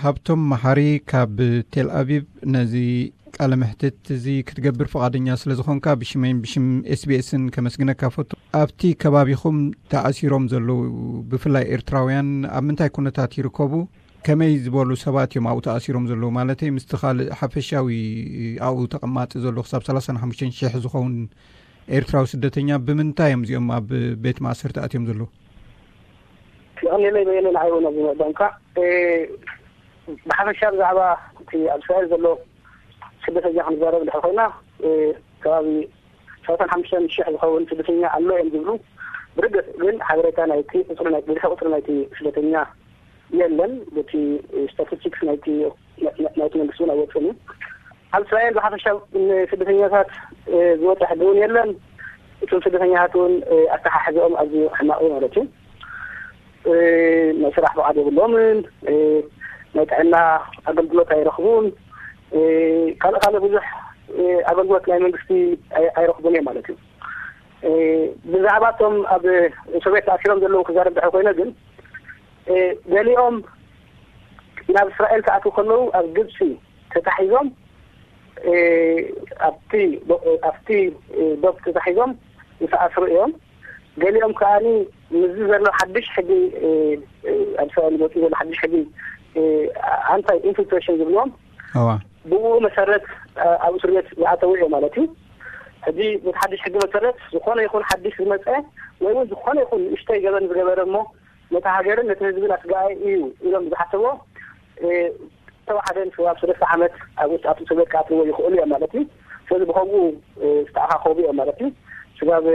ሃብቶም መሓሪ ካብ ቴል ኣቪቭ፣ ነዚ ቃለ መሕትት እዚ ክትገብር ፍቓደኛ ስለ ዝኾንካ ብሽመይን ብሽም ኤስቢኤስን ከመስግነካ ፈቱ። ኣብቲ ከባቢኹም ተኣሲሮም ዘለዉ ብፍላይ ኤርትራውያን ኣብ ምንታይ ኩነታት ይርከቡ? ከመይ ዝበሉ ሰባት እዮም ኣብኡ ተኣሲሮም ዘለዉ? ማለተይ ምስቲ ካልእ ሓፈሻዊ ኣብኡ ተቐማጢ ዘሎ ክሳብ ሰላሳን ሓሙሽተን ሽሕ ዝኸውን ኤርትራዊ ስደተኛ ብምንታይ እዮም እዚኦም ኣብ ቤት ማእሰርቲ ኣትዮም ዘለዉ? ይቐንየለይ በየነ፣ ንዓይ እውን ኣብዚ ምዕዳምካ። ብሓፈሻ ብዛዕባ እቲ ኣብ እስራኤል ዘሎ ስደተኛ ክንዛረብ እንድሕር ኮይና፣ ከባቢ ሰላሳን ሓሙሽተን ሽሕ ዝኸውን ስደተኛ ኣሎ እዮም ዝብሉ። ብርግጽ ግን ሓበሬታ ናይቲ ቁፅሪ ናይ ብዝሒ ቁፅሪ ናይቲ ስደተኛ የለን። በቲ ስታቲስቲክስ ናይቲ ናይቲ መንግስቲ እውን ኣይወፅን እዩ። ኣብ እስራኤል ብሓፈሻ ንስደተኛታት ዝወፀ ሕጊ እውን የለን። እቶም ስደተኛታት እውን ኣተሓሕዘኦም ኣዝዩ ሕማቕ እዩ ማለት እዩ። ናይ ስራሕ ፍቓድ የብሎምን። ናይ ጥዕና ኣገልግሎት ኣይረኽቡን። ካልእ ካልእ ብዙሕ ኣገልግሎት ናይ መንግስቲ ኣይረኽቡን እዮም ማለት እዩ። ብዛዕባ እቶም ኣብ እስር ቤት ተኣሲሮም ዘለዉ ክዛረብ ድሕር ኮይነ ግን፣ ገሊኦም ናብ እስራኤል ክኣትዉ ከለዉ ኣብ ግብፂ ተታሒዞም ኣብቲ ኣብቲ ዶብ ተታሒዞም ዝተኣስሩ እዮም። ገሊኦም ከዓኒ ምስዚ ዘሎ ሓድሽ ሕጊ፣ ኣብ እስራኤል መፂኡ ዘሎ ሓድሽ ሕጊ፣ ኣንታይ ኢንፊልትሬሽን ዝብልዎም፣ እዋ ብኡ መሰረት ኣብ እስር ቤት ዝኣተው እዮም ማለት እዩ። ሕጂ በቲ ሓድሽ ሕጊ መሰረት ዝኾነ ይኹን ሓድሽ ዝመፀ ወይ እውን ዝኾነ ይኹን ንእሽተይ ገበን ዝገበረ እሞ ነቲ ሃገርን ነቲ ህዝብን ኣስጋኢ እዩ ኢሎም ዝሓሰቦ ተዋሓደ ንስጋብ ሰለስተ ዓመት ኣብ ውሽጢ ኣብቲ እስር ቤት ክኣትዎ ይኽእሉ እዮም ማለት እዩ። ስለዚ ብኸምኡ ዝተኣኻኸቡ እዮም ማለት እዩ። ስጋብ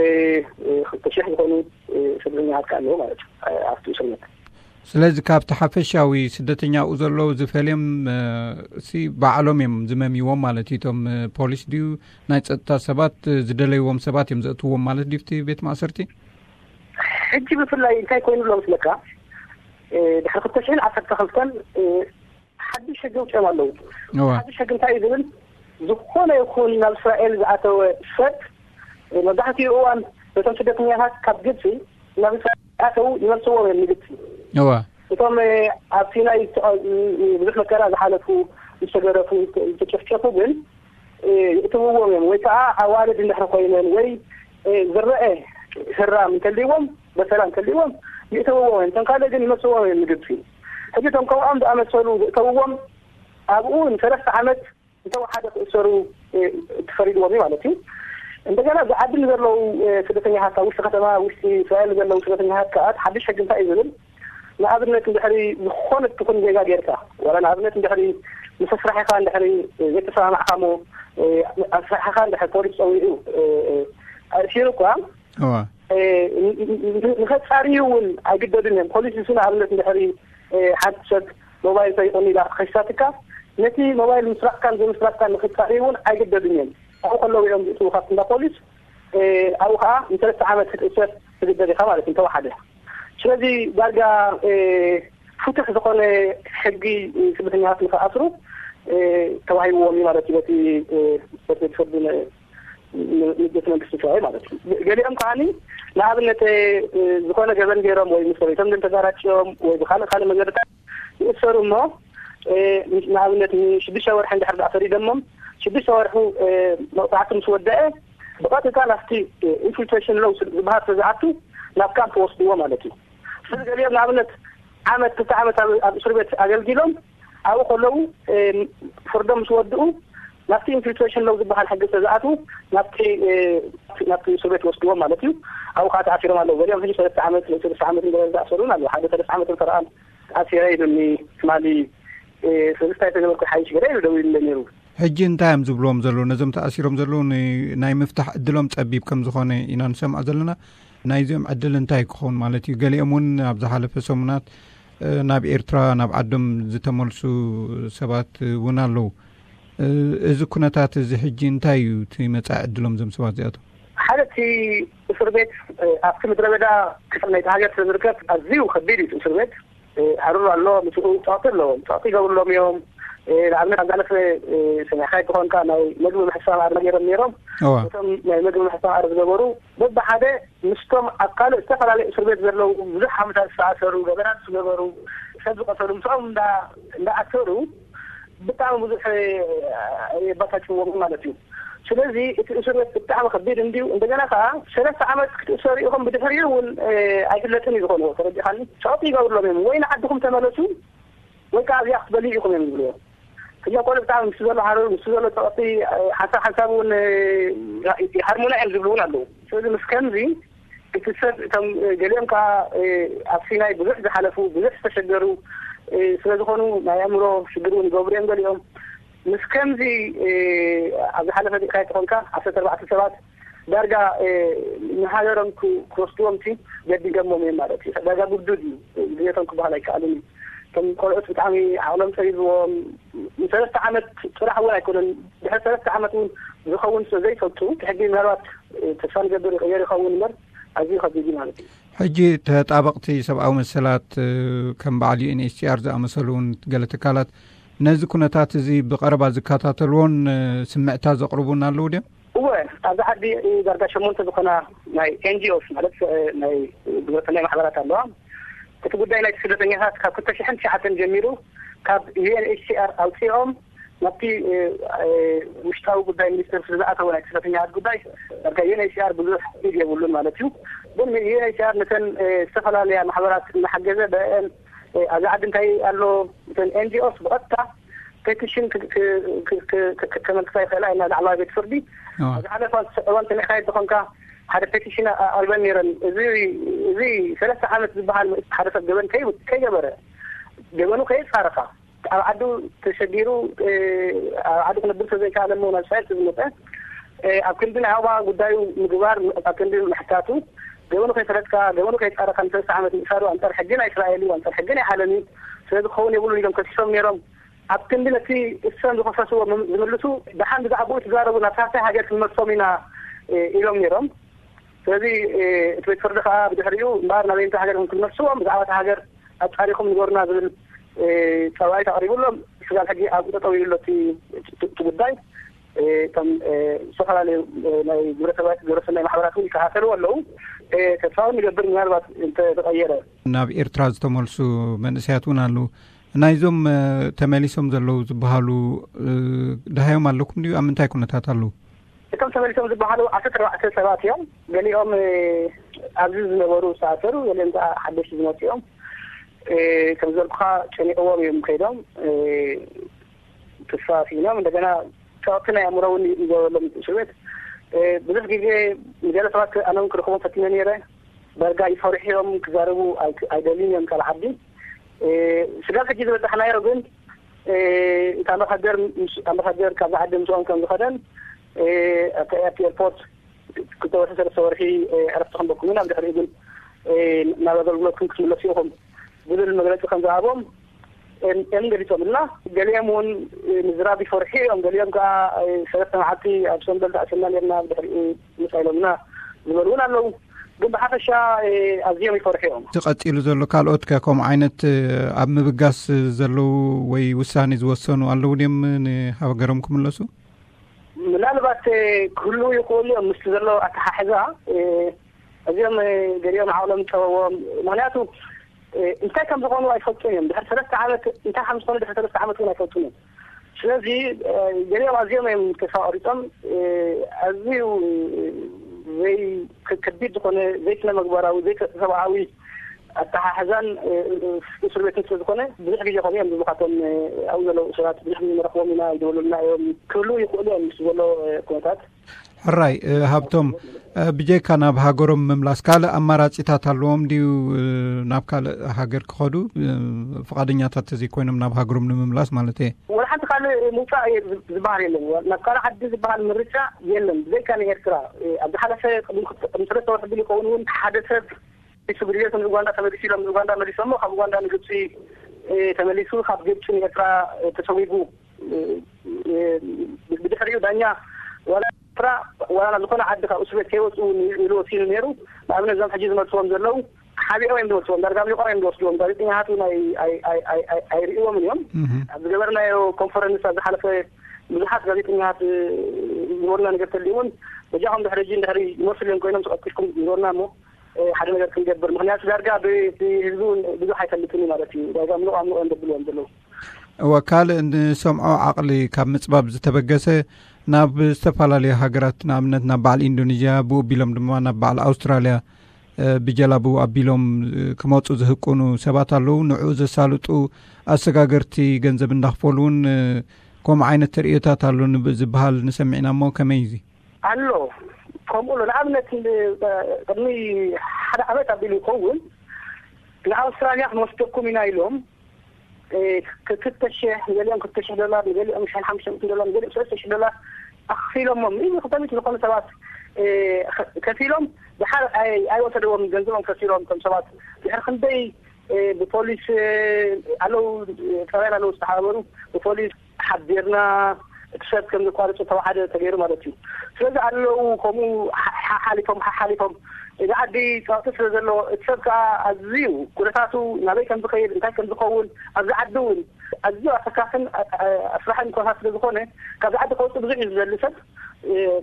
ክልተ ሽሕ ዝኾኑ ስደተኛታት ከ ኣለዉ ማለት እዩ ኣብቲ እስር ቤት። ስለዚ ካብቲ ሓፈሻዊ ስደተኛኡ ዘለዉ ዝፈልዮም ሲ ባዕሎም እዮም ዝመምይዎም ማለት እዩ። እቶም ፖሊስ ድዩ ናይ ጸጥታ ሰባት ዝደለይዎም ሰባት እዮም ዘእትዎም ማለት ድዩ ኣብቲ ቤት ማእሰርቲ? ሕጂ ብፍላይ እንታይ ኮይኑ ኣሎ መስለካ? ድሕሪ ክልተ ሽሕን ዓሰርተ ክልተን ሓድሽ ሕጊ ኣውፂኦም ኣለዉ። ሓድሽ ሕጊ እንታይ እዩ ዝብል? ዝኾነ ይኹን ናብ እስራኤል ዝኣተወ ሰብ መብዛሕትኡ እዋን ነቶም ስደተኛታት ካብ ግብፂ ናብ እስራኤል ኣተው ይመልስዎም እዮም ንግብፂ። እዋ እቶም ኣብ ሲናይ ብዙሕ መከራ ዝሓለፉ ዝተገረፉ ዝተጨፍጨፉ ግን ይእትውዎም እዮም። ወይ ከዓ ኣዋልድ እንድሕር ኮይነን ወይ ዝረአ ህራም እንተልይዎም በሰላ እንተልይዎም ይእተውዎም እዮም። እቶም ካልእ ግን ይመልስዎም እዮም ንግብፂ። ሕጂ እቶም ከምኦም ዝኣመሰሉ ዝእተውዎም ኣብኡ ንሰለስተ ዓመት እንተወሓደ ክእሰሩ ተፈሪድዎም እዩ ማለት እዩ። እንደገና ኣብዚ ዓዲ ንዘለዉ ስደተኛታት ኣብ ውሽጢ ከተማ ውሽጢ እስራኤል ዘለዉ ስደተኛታት ከዓ ሓድሽ ሕጊ እንታይ እዩ ዝብል? ንኣብነት እንድሕሪ ዝኾነ ትኹን ዜጋ ጌርካ ዋላ ንኣብነት እንድሕሪ ምስ ኣስራሒኻ እንድሕሪ ዘይተሰማማዕካ እሞ ኣስራሒኻ እንድሕሪ ፖሊስ ፀዊዑ ኣእሲሩ እኳ እዋ ንኸፃርዩ እውን ኣይግደዱን እዮም። ፖሊስ እሱ ንኣብነት እንድሕሪ ሓንቲ ሰብ ሞባይል ሰሪቑኒ ኢላ ክኸሳትካ ነቲ ሞባይል ምስራቕካን ዘይምስራቕካን ንኽፃርዩ እውን ኣይግደዱን እዮም። ኣብኡ ከለዉ እዮም ዝእትዉ ካብቲ እንዳ ፖሊስ። ኣብኡ ከዓ ንሰለስተ ዓመት ክትእሰር ትግደድ ኢኻ ማለት እዩ እንተወሓደ። ስለዚ ዳርጋ ፍቱሕ ዝኾነ ሕጊ ስደተኛታት ንክኣስሩ ተዋሂብዎም እዩ ማለት እዩ በቲ በቲ ቤት ፍርዲ ቤት መንግስቲ እስራኤል ማለት እዩ። ገሊኦም ከዓኒ ንኣብነት ዝኾነ ገበን ገይሮም ወይ ምስ ሰበይቶም ድም ተጋራጭዮም ወይ ብካልእ ካልእ መገድታት ይእሰሩ እሞ ንኣብነት ንሽዱሽተ ወርሒ እንድሕር ደኣ ፈሪደሞም ሽዱሽተ ወርሑ መቕፃዕቲ ምስ ወደአ ብቐጥታ ናብቲ ኢንፊልትሬሽን ሎው ዝበሃል ስለ ዝኣቱ ናብ ካምፕ ወስድዎ ማለት እዩ። ስለዚ ገሊኦም ንኣብነት ዓመት ክልተ ዓመት ኣብ እስር ቤት ኣገልጊሎም ኣብኡ ከለዉ ፍርዶም ምስ ወድኡ ናብቲ ኢንፊልትሬሽን ሎው ዝበሃል ሕጊ ስለ ዝኣትዉ ናብቲ ናብቲ እስር ቤት ወስድዎም ማለት እዩ። ኣብኡ ከዓ ተኣሲሮም ኣለዉ። ገሊኦም ሕጂ ሰለስተ ዓመት ወይ ሰለስተ ዓመት እንደ ዝኣሰሩን ኣለዉ። ሓደ ሰለስተ ዓመት ፈረቓን ተኣሲረ ኢሉኒ ትማሊ ሰለስታይ ተገበርኩ ሓይሽ ገለ ኢሉ ደዊሉለ ነይሩ። ሕጂ እንታይ እዮም ዝብልዎም ዘለዉ ነዞም ተኣሲሮም ዘለዉ? ናይ ምፍታሕ ዕድሎም ጸቢብ ከም ዝኾነ ኢና ንሰምዖ ዘለና። ናይዚኦም ዕድል እንታይ ክኸውን ማለት እዩ? ገሊኦም እውን ኣብ ዝሓለፈ ሰሙናት ናብ ኤርትራ ናብ ዓዶም ዝተመልሱ ሰባት እውን ኣለዉ። እዚ ኩነታት እዚ ሕጂ እንታይ እዩ እቲ መጻኢ ዕድሎም እዞም ሰባት እዚኣቶም? ሓደ እቲ እስር ቤት ኣብቲ ምድረ በዳ ክፍል ናይቲ ሃገር ስለ ዝርከብ ኣዝዩ ከቢድ እዩ እቲ እስር ቤት። ሃሩር ኣሎ፣ ምስኡ ጸቕጢ ኣለዎም፣ ጸቕጢ ይገብርሎም እዮም። ንኣብነት ኣብ ዝሓለፈ ሰሚዕካ ይትኾንካ፣ ናይ መግቢ ምሕሳብ ኣር ነይሮም ነይሮም። እቶም ናይ መግቢ ምሕሳብ ኣር ዝገበሩ በብሓደ ምስቶም ኣብ ካልእ ዝተፈላለዩ እስር ቤት ዘለዉ ብዙሕ ዓመታት ዝተኣሰሩ፣ ገበናት ዝገበሩ፣ ሰብ ዝቐተሉ ምስኦም እንዳኣሰሩ ብጣዕሚ ብዙሕ የባታጭዎም ማለት እዩ። ስለዚ እቲ እስር ቤት ብጣዕሚ ከቢድ እንድዩ። እንደገና ከዓ ሰለስተ ዓመት ክትእሰሩ ኢኹም፣ ብድሕሪኡ እውን ኣይፍለጥን እዩ ዝኾንዎ። ተረዲኻኒ? ጸቕጢ ይገብርሎም እዮም፣ ወይ ንዓድኹም ተመለሱ ወይ ከዓ ኣብዚኣ ክትበልዩ ኢኹም እዮም ዝብልዎ። እዞም ቆልዑ ብጣዕሚ ምስ ዘሎ ሓረሩ፣ ምስ ዘሎ ጸቕጢ ሓንሳብ ሓንሳብ እውን ይሃርሙና እዮም ዝብሉ እውን ኣለዉ። ስለዚ ምስ ከምዚ እቲ ሰብ እቶም ገሊኦም ከዓ ኣብ ሲናይ ብዙሕ ዝሓለፉ፣ ብዙሕ ዝተሸገሩ ስለ ዝኾኑ ናይ ኣእምሮ ሽግር እውን ይገብሩ እዮም ገሊኦም። ምስ ከምዚ ኣብ ዝሓለፈ ዲእካ ይትኾንካ ዓሰርተ ኣርባዕተ ሰባት ዳርጋ ንሃገሮም ክወስድዎም ሲ ገዲዶሞም እዮም ማለት እዩ። ዳርጋ ግዱድ እዩ። ድሌቶም ክበሃል ኣይከኣልን እዩ። እቶም ቆልዑት ብጣዕሚ ዓቕሎም ጸቢብዎም ንሰለስተ ዓመት ጥራሕ እውን ኣይኮነን፣ ድሕሪ ሰለስተ ዓመት እውን ዝኸውን ስለ ዘይፈልጡ እቲ ሕጊ ምናልባት ተስፋ ንገብር ይቕየር ይኸውን እምበር ኣዝዩ ከቢድ እዩ ማለት እዩ። ሕጂ ተጣበቕቲ ሰብኣዊ መሰላት ከም በዓል ዩ ኤን ኤች ሲ ኣር ዝኣመሰሉ እውን ገለ ትካላት ነዚ ኩነታት እዚ ብቐረባ ዝከታተልዎን ስምዕታ ዘቕርቡን ኣለዉ ድዮም? እወ፣ ኣብዚ ዓዲ ዳርጋ ሸሞንተ ዝኾና ናይ ኤን ጂ ኦስ ማለት ናይ ግብረሰናይ ማሕበራት ኣለዋ። እቲ ጉዳይ ናይ ስደተኛታት ካብ ክልተ ሽሕን ትሽዓተን ጀሚሩ ካብ ዩ ኤን ኤች ሲ ኣር ኣውፂኦም ናብቲ ውሽጣዊ ጉዳይ ሚኒስትር ስለ ዝኣተወ ናይ ስደተኛታት ጉዳይ ዳርጋ ዩ ኤን ኤች ሲ ኣር ብዙሕ ኢድ የብሉን ማለት እዩ። ግን ዩ ኤን ኤች ሲ ኣር ነተን ዝተፈላለያ ማሕበራት እናሓገዘ ብአን ኣብዚ ዓዲ እንታይ ኣሎ እተን ኤን ጂ ኦስ ብቐጥታ ፔቲሽን ከመልክታ ይኽእላ ኢና ላዕለዋይ ቤት ፍርዲ። ኣብ ዝሓለፈ እዋን ሰሚዕካ ይትኾንካ ሓደ ፔቲሽን ኣልበን ነይረን። እዚ ሰለስተ ዓመት ዝበሃል ሓደ ሰብ ገበን ከይገበረ ገበኑ ከየጻረኻ ኣብ ዓዱ ተሸጊሩ ኣብ ዓዱ ክነብር ስለዘይከኣለ እሞ ናብ እስራኤል ዝመፀ ኣብ ክንዲ ናይ ኣባ ጉዳዩ ምግባር ኣብ ክንዲ ምሕታቱ ገበኑ ከይፈለጥካ ገበኑ ከይጻረኻ ንሰለስተ ዓመት ምእሳሩ ኣንጻር ሕጊ ናይ እስራኤል እዩ፣ ኣንጻር ሕጊ ናይ ዓለም እዩ። ስለዚ ክኸውን የብሉን ኢሎም ከሲሶም ነይሮም። ኣብ ክንዲ ነቲ እሶም ዝኸሰስዎ ዝምልሱ ደሓን ብዛዕባኡ ትዛረቡ ናብ ሳልሳይ ሃገር ክንመልሶም ኢና ኢሎም ነይሮም። ስለዚ እቲ ቤት ፍርዲ ከዓ ብድሕሪኡ እምበኣር ናበይንታ ሃገር ክንመልስዎም ብዛዕባ እታ ሃገር ኣጻሪኹም ንገሩና ዝብል ጸዋዒት ኣቕሪቡሎም ስጋብ ሕጂ ኣብኡ ጠጠው ኢሉ ኣሎ እቲ ጉዳይ። እቶም ዝተፈላለዩ ናይ ግብረሰናይ ማሕበራት እውን ይከታተልዎ ኣለዉ። ተስፋ እውን ንገብር ምናልባት እንተተቐየረ። ናብ ኤርትራ ዝተመልሱ መንእሰያት እውን ኣለዉ። ናይዞም ተመሊሶም ዘለዉ ዝበሃሉ ደሃዮም ኣለኩም ድዩ? ኣብ ምንታይ ኩነታት ኣለዉ? እቶም ተመሊሶም ዝበሃሉ ዓሰርተ ኣርባዕተ ሰባት እዮም። ገሊኦም ኣብዚ ዝነበሩ ዝተኣሰሩ፣ ገሊኦም ከዓ ሓደሽቲ ዝመፁ እዮም። ከም ዘልኩኻ ጨኒቕዎም እዮም ከይዶም ተስፋ ስኢኖም። እንደገና ጸቕጢ ናይ ኣእምሮ እውን ይገበሎም እቲ እስር ቤት። ብዙሕ ግዜ ንገለ ሰባት ኣነ እውን ክረኽቦም ፈቲነ ነይረ። ዳርጋ ይፈርሑ እዮም፣ ክዛረቡ ኣይደልዩን እዮም ካብ ዓዲ። ስጋብ ሕጂ ዝበጻሕናዮ ግን እቲ ኣምባሳደር ኣምባሳደር ካብዚ ዓዲ ምስኦም ከም ዝኸደን ኣብቲ ኤርፖርት ክልተ ወርሒ ሰለስተ ወርሒ ዕረፍቲ ክንበኩም ኢና፣ ብድሕሪኡ ግን ናብ ኣገልግሎትኩም ክትምለሱ ኢኹም ዝብል መግለፂ ከም ዝሃቦም እዮም ገሊፆምልና። ገሊኦም እውን ምዝራብ ይፈርሑ እዮም። ገሊኦም ከዓ ሰለስተ መዓልቲ ኣብ ሰንበል ተኣሲርና ነርና ብድሕሪኡ ምፃ ኢሎምና ዝበሉ እውን ኣለዉ። ግን ብሓፈሻ ኣዝዮም ይፈርሑ እዮም። እዚ ቀፂሉ ዘሎ ካልኦት ከ ከምኡ ዓይነት ኣብ ምብጋስ ዘለዉ ወይ ውሳኔ ዝወሰኑ ኣለዉ ድዮም ንሃገሮም ክምለሱ? ምናልባት ክህልዉ ይኽእሉ እዮም ምስቲ ዘሎ ኣተሓሕዛ። እዚኦም ገሊኦም ዓቕሎም ጸበዎም። ምኽንያቱ እንታይ ከም ዝኾኑ ኣይፈልጡን እዮም። ድሕሪ ሰለስተ ዓመት እንታይ ከም ዝኾኑ ድሕሪ ሰለስተ ዓመት እውን ኣይፈልጡን እዮም። ስለዚ ገሊኦም ኣዝዮም እዮም ተስፋ ቆሪጾም። ኣዝዩ ዘይ ከቢድ ዝኾነ ዘይስነ ምግባራዊ ዘይሰብኣዊ ኣተሓሕዛን እስር ቤትን ስለ ዝኾነ ብዙሕ ግዜ ከምኡ እዮም ዝብሉ ካብቶም ኣብኡ ዘለዉ እሱራት ብዙሕ ግዜ ንረኽቦም ኢና ይደውሉልና እዮም። ክህልዉ ይኽእሉ እዮም ምስ ዘሎ ኩነታት። ሕራይ ሃብቶም፣ ብጀካ ናብ ሃገሮም ምምላስ ካልእ ኣማራጺታት ኣለዎም ድዩ? ናብ ካልእ ሃገር ክኸዱ ፍቓደኛታት ተዘይኮይኖም ናብ ሃገሮም ንምምላስ ማለት እየ። ወላ ሓንቲ ካልእ ምውፃእ ዝበሃል የለን። ናብ ካልእ ዓዲ ዝበሃል ምርጫ የለን። ብዘይካ ንኤርትራ ኣብ ዝሓለፈ ቅድሚ ሰለስተ ወርሒ ብል ይኸውን እውን ሓደ ሰብ ሱ ብድልየቱ ንኡጋንዳ ተመሊሱ ኢሎም ንኡጋንዳ መሊሶሞ ካብ ኡጋንዳ ንግብፂ ተመሊሱ ካብ ግብፂ ንኤርትራ ተሰዊጉ ብድሕሪኡ ዳኛ ዋላ ኤርትራ ዋላ ናብ ዝኾነ ዓዲ ካብ እስር ቤት ከይወፅኡ ኢሉ ወሲኑ ነይሩ። ንኣብነት እዞም ሕጂ ዝመልስዎም ዘለዉ ሓቢኦም እዮም ዝወስድዎም፣ ዳርጋ ኣምሊቖም እዮም ዝወስድዎም። ጋዜጠኛታት እውን ኣይ- ኣይ- ኣይ- ኣይ- ኣይ- ኣይርእይዎምን እዮም። ኣብ ዝገበርናዮ ኮንፈረንስ ኣብ ዝሓለፈ ብዙሓት ጋዜጠኛታት ዝወርና ነገር ተልዩ እውን በጃኹም ድሕሪ ሕጂ ድሕሪ ይመስል እዮም ኮይኖም ተቐጥቂጥኩም ዝወርና እሞ ሓደ ነገር ክንገብር፣ ምክንያቱ ዳርጋ ብህዝቢ እውን ብዙሕ ኣይፈልጥን ማለት እዩ። ዳርጋ ምሉቕ ኣምልኦ እዮም ዘብልዎም ዘለዉ። እወ፣ ካልእ ንሰምዖ ዓቕሊ ካብ ምጽባብ ዝተበገሰ ናብ ዝተፈላለዩ ሃገራት፣ ንኣብነት ናብ በዓል ኢንዶኔዥያ፣ ብኡ ኣቢሎም ድማ ናብ በዓል ኣውስትራልያ ብጀላቡ ኣቢሎም ክመፁ ዝህቁኑ ሰባት ኣለዉ። ንዕኡ ዘሳልጡ ኣሰጋገርቲ ገንዘብ እንዳኽፈሉ እውን ከምኡ ዓይነት ተርእዮታት ኣሎ ዝበሃል ንሰሚዕና እሞ ከመይ እዩ? ኣሎ። ከምኡ ኣሎ። ንኣብነት ቅድሚ ሓደ ዓመት ኣቢሉ ይኸውን ንኣውስትራልያ ክንወስደኩም ኢና ኢሎም ክልተ ሽሕ፣ ንገሊኦም ክልተ ሽሕ ዶላር፣ ንገሊኦም ሽሕን ሓሙሽተ ሚእትን ዶላር፣ ንገሊኦም ሰለስተ ሽሕ ዶላር ኣኽፊሎሞም። እዚ ክልተ ሚእቲ ዝኾኑ ሰባት ከፊሎም ድሓር ኣይወሰደዎም፣ ገንዘቦም ከሲሮም። እቶም ሰባት ድሕሪ ክንደይ ብፖሊስ ኣለዉ፣ ጣብያን ኣለዉ ዝተሓባበሩ ብፖሊስ ሓቢርና እቲ ሰብ ከም ዘቋርጹ ተዋሓደ ተገይሩ ማለት እዩ። ስለዚ ኣለዉ ከምኡ ሓሓሊፎም ሓሓሊፎም እዚ ዓዲ ጸቕጢ ስለ ዘሎ እቲ ሰብ ከዓ ኣዝዩ ኩነታቱ ናበይ ከም ዝኸይድ እንታይ ከም ዝኸውን ኣብዚ ዓዲ እውን ኣዝዩ ኣሰካፍን ኣስራሕን ኩነታት ስለ ዝኾነ ካብዚ ዓዲ ከውፅእ ብዙሕ እዩ ዝደሊ ሰብ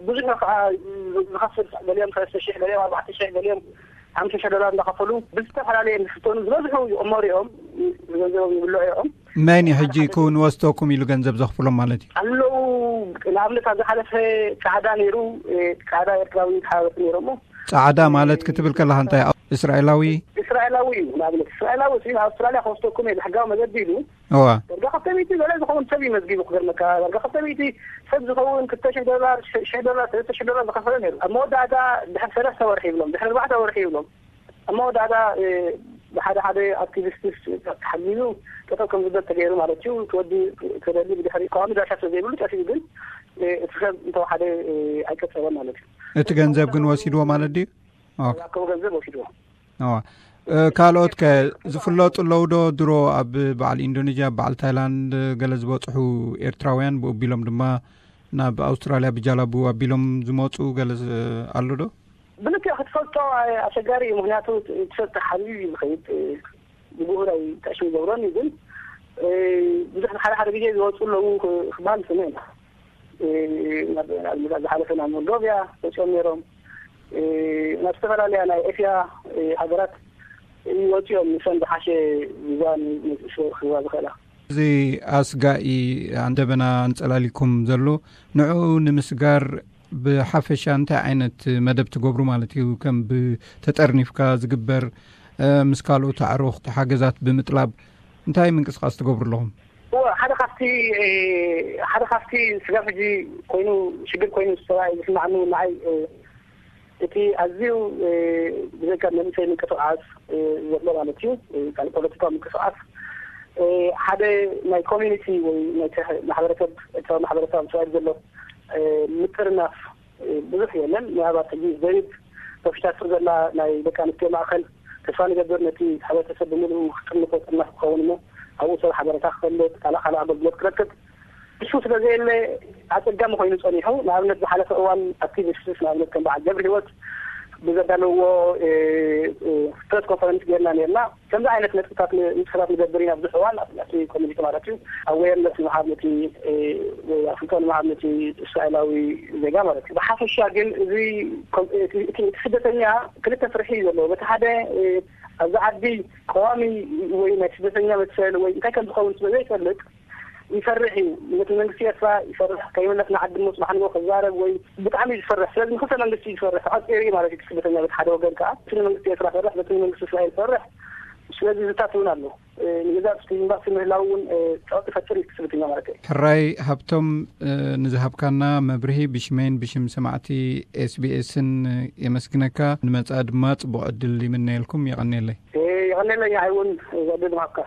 ብዙሕ ከዓ ዝኸፍል ገሊኦም ሰለስተ ሽሕ ገሊኦም ኣርባዕተ ሽሕ ገሊኦም ሓምሳ ሽሕ ዶላር እንዳኸፈሉ ብዝተፈላለየ ዝፍተኑ ዝበዝሑ ይቕመሩ እዮም። ገንዘቦም ይብልዑ እዮም። መን እዩ ሕጂ ክውን ወስደኩም ኢሉ ገንዘብ ዘኽፍሎም ማለት እዩ? ኣለዉ ንኣብነት ኣብ ዝሓለፈ ጻዕዳ ነይሩ። ጻዕዳ ኤርትራዊ ተሓባበርቲ ነይሮሞ። ጻዕዳ ማለት ክትብል ከለካ እንታይ? እስራኤላዊ? እስራኤላዊ እዩ። ንኣብነት እስራኤላዊ ሲ ኣውስትራልያ ከወስደኩም እየ ብሕጋዊ መገዲ ኢሉ እዋ። ዳርጋ ክልተ ሚእቲ ገለ ዝኸውን ሰብ እዩ መዝጊቡ ክገርመካ። ዳርጋ ክልተ ሚእቲ ሰብ ዝኸውን ክልተ ሽሕ ዶላር ሽሕ ዶላር ሰለስተ ሽሕ ዶላር ዝኸፈለ ነይሩ። ኣብ መወዳእታ ድሕሪ ሰለስተ ወርሒ ይብሎም ድሕሪ ኣርባዕተ ወርሒ ይብሎም ኣብ መወዳእታ ብሓደ ሓደ ኣክቲቪስትስ ተሓጊዙ ጠጠው ከም ዝብል ተገይሩ ማለት እዩ። ክወዲ ተደሊ ብድሕሪ ተቃዋሚ ዳርሻ ስለ ዘይብሉ ጠፊኡ ግን እቲ ሰብ እንተወሓደ ኣይቀጸበን ማለት እዩ። እቲ ገንዘብ ግን ወሲድዎ ማለት ድዩ? ዝኣከቡ ገንዘብ ወሲድዎ። ካልኦት ከ ዝፍለጡ ኣለዉ ዶ? ድሮ ኣብ በዓል ኢንዶኔዥያ በዓል ታይላንድ ገለ ዝበፅሑ ኤርትራውያን ብኡ ኣቢሎም ድማ ናብ ኣውስትራልያ ብጃላቡ ኣቢሎም ዝመፁ ገለ ኣሎ ዶ? ብልክዕ ክትፈልጦ ኣሸጋሪ እዩ። ምክንያቱ ትፈልጥ ሓቢብ እዩ ዝኸይድ ብጉሁር ኣይጠዕሽም ይገብሮን እዩ። ግን ብዙሕ ሓደ ሓደ ግዜ ዝወፁ ኣለዉ ክበሃል ዝሰምዕ ኢና። ናብ ዝሓለፈ ናብ ሞልዶቪያ ወፂኦም ነይሮም። ናብ ዝተፈላለያ ናይ ኤስያ ሃገራት ይወፅኦም ንሰን ዝሓሸ ቪዛ ንስወር ክህባ ዝኽእላ። እዚ ኣስጋኢ ኣንደበና ኣንፀላሊኩም ዘሎ ንዕኡ ንምስጋር ብሓፈሻ እንታይ ዓይነት መደብ ትገብሩ ማለት እዩ? ከም ብተጠርኒፍካ ዝግበር ምስ ካልኦት ኣዕሩኽ ሓገዛት ብምጥላብ እንታይ ምንቅስቃስ ትገብሩ ኣለኹም? ሓደ ካብቲ ሓደ ካብቲ ስጋብ ሕጂ ኮይኑ ሽግር ኮይኑ ዝሰማይ ዝስማዕኒ ንዓይ እቲ ኣዝዩ ብዘይካ መንእሰይ ምንቅስቃስ ዘሎ ማለት እዩ። ካልእ ፖለቲካዊ ምንቅስቃስ ሓደ ናይ ኮሚኒቲ ወይ ናይ ማሕበረሰብ ኤርትራዊ ማሕበረሰብ ኣብ እስራኤል ዘሎ ምጥርናፍ ብዙሕ የለን። ምናልባት ሕጂ ዘይብ ተፍሻቱ ዘላ ናይ ደቂ ኣንስትዮ ማእኸል ተስፋ ንገብር ነቲ ሕብረተሰብ ብምልኡ ክጥርንፎ ጥርናፍ ክኸውን እሞ ኣብኡ ሰብ ሓበረታ ክፈልጥ ካልእ ካልእ ኣገልግሎት ክረክብ እሱ ስለ ዘየለ ኣጸጋሚ ኮይኑ ጸኒሑ። ንኣብነት ዝሓለፈ እዋን ኣክቲቪስትስ ንኣብነት ከም በዓል ገብረ ህይወት ብዘዳለውዎ ፕረስ ኮንፈረንስ ጌርና ኔርና። ከምዚ ዓይነት ነጥብታት ንጥፈታት ንገብር ኢና ብዙሕ እዋን ኣብቲ ኮሚኒቲ ማለት እዩ። ኣዌርነስ ንምሃብ ነቲ ኣፍልጦ ንምሃብ ነቲ እስራኤላዊ ዜጋ ማለት እዩ። ብሓፈሻ ግን እዚ እቲ ስደተኛ ክልተ ፍርሒ እዩ ዘለዎ። በቲ ሓደ ኣብዚ ዓዲ ቀዋሚ ወይ ናይ ስደተኛ መሰል ወይ እንታይ ከም ዝኸውን ስለ ዘይፈልጥ ይፈርሕ እዩ። ነቲ መንግስቲ ኤርትራ ይፈርሕ። ከይመለስ ንዓዲ ሞ ጽባሕ ንግሆ ክዛረብ ወይ ብጣዕሚ እዩ ዝፈርሕ። ስለዚ ንክልተ መንግስቲ እዩ ዝፈርሕ። ተቐጺሩ እዩ ማለት እዩ። እቲ ስደተኛ በቲ ሓደ ወገን ከኣ እቲ ንመንግስቲ ኤርትራ ፈርሕ፣ በቲ ንመንግስቲ እስራኤል ፈርሕ። ስለዚ ዝታት እውን ኣሎ። ንገዛእ እቲ ኤምባሲ ምህላው እውን ጸቕጢ ፈጥር እዩ እቲ ስደተኛ ማለት እዩ። ሕራይ ሃብቶም ንዝሃብካና መብርሂ ብሽመይን ብሽም ሰማዕቲ ኤስቢኤስን የመስግነካ። ንመጻኢ ድማ ጽቡቕ ዕድል ይምነየልኩም። የቐንየለይ። የቐንየለይ። ንዓይ እውን ዕድል ምሃብካ።